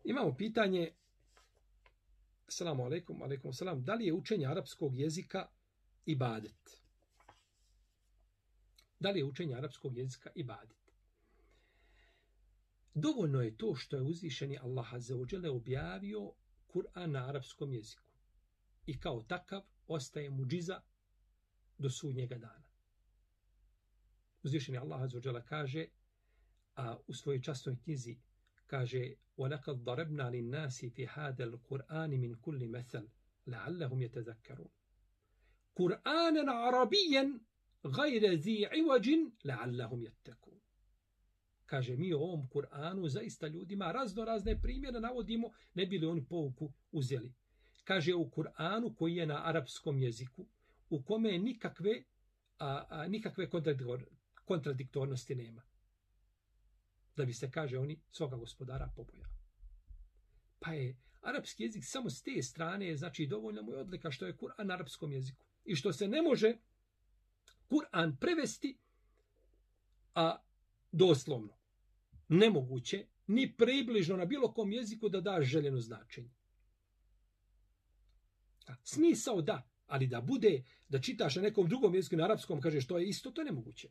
Imamo pitanje, assalamu alaikum, alaikum salam, da li je učenje arapskog jezika ibadet? Da li je učenje arapskog jezika ibadet? Dovoljno je to što je uzvišeni Allah azza wa dželle objavio Kur'an na arapskom jeziku. I kao takav ostaje muđiza do sudnjega dana. Uzvišeni Allah azza wa dželle kaže, a u svojoj časnoj knjizi kaže وَلَقَدْ ضَرَبْنَا لِلنَّاسِ فِي هَذَا الْقُرْآنِ مِنْ كُلِّ مَثَلٍ لَعَلَّهُمْ يَتَذَكَّرُونَ قُرْآنًا عَرَبِيًّا غَيْرَ ذِي عِوَجٍ لَعَلَّهُمْ يَتَّقُونَ. Kaže, mi u ovom Kur'anu zaista ljudima razne primjere navodimo, ne bi li oni pouku uzeli. Kaže, u Kur'anu koji je na arapskom jeziku, u kome nikakve kontradiktornosti nema. Da bi se, kaže, oni svoga gospodara pobojali. Pa je arapski jezik samo s te strane, znači dovoljno mu je odlika što je Kur'an na arapskom jeziku. I što se ne može Kur'an prevesti, a doslovno. Nemoguće, ni približno na bilo kom jeziku da da željeno značenje. Smisao da, ali da bude, da čitaš na nekom drugom jeziku, na arapskom, kaže što je isto, to je nemoguće.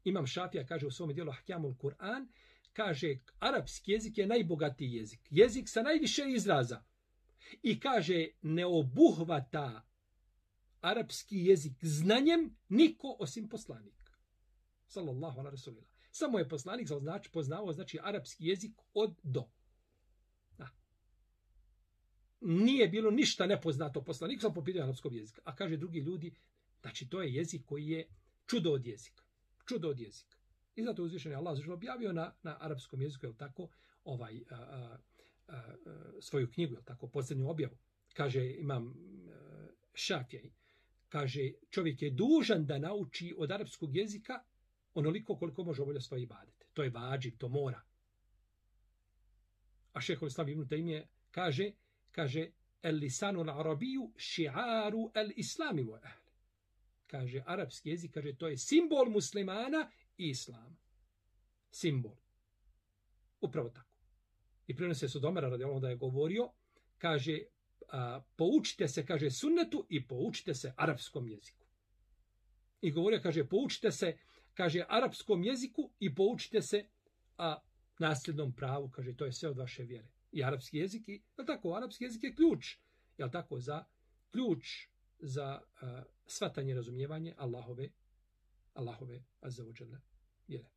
Imam Šafija kaže u svom dijelu Ahkamul Kur'an, kaže arapski jezik je najbogatiji jezik. Jezik sa najviše izraza. I kaže ne obuhvata arapski jezik znanjem niko osim poslanika. Sallallahu ala rasulillah. Samo je poslanik poznavao znači arapski jezik od do. Da. Nije bilo ništa nepoznato poslaniku samo po pitanju arapskog jezika. A kaže drugi ljudi, znači to je jezik koji je čudo od jezika. Čudo od jezika. I zato uzvišeni Allah objavio na arapskom jeziku, je tako, svoju knjigu, je tako, posljednju objavu. Kaže, imam Šafija, kaže, čovjek je dužan da nauči od arapskog jezika onoliko koliko može obavljati svoje ibadete. To je vađib, to mora. A šejhul islam ibn Tejmije kaže, el lisanu al-arabiju ši'aru el-islami wa ahli. Kaže, arapski jezik, kaže, to je simbol muslimana i islama. Simbol. Upravo tako. I prenose se od Omera radijallahu da je govorio, kaže, poučite se, kaže, sunnetu i poučite se arapskom jeziku. I govorio, kaže, poučite se, kaže, arapskom jeziku i poučite se nasljednom pravu, kaže, to je sve od vaše vjere. I arapski jezik, je tako, arapski jezik je ključ, je tako, za shvatanje, razumijevanje Allahove azza wa dželle vjere.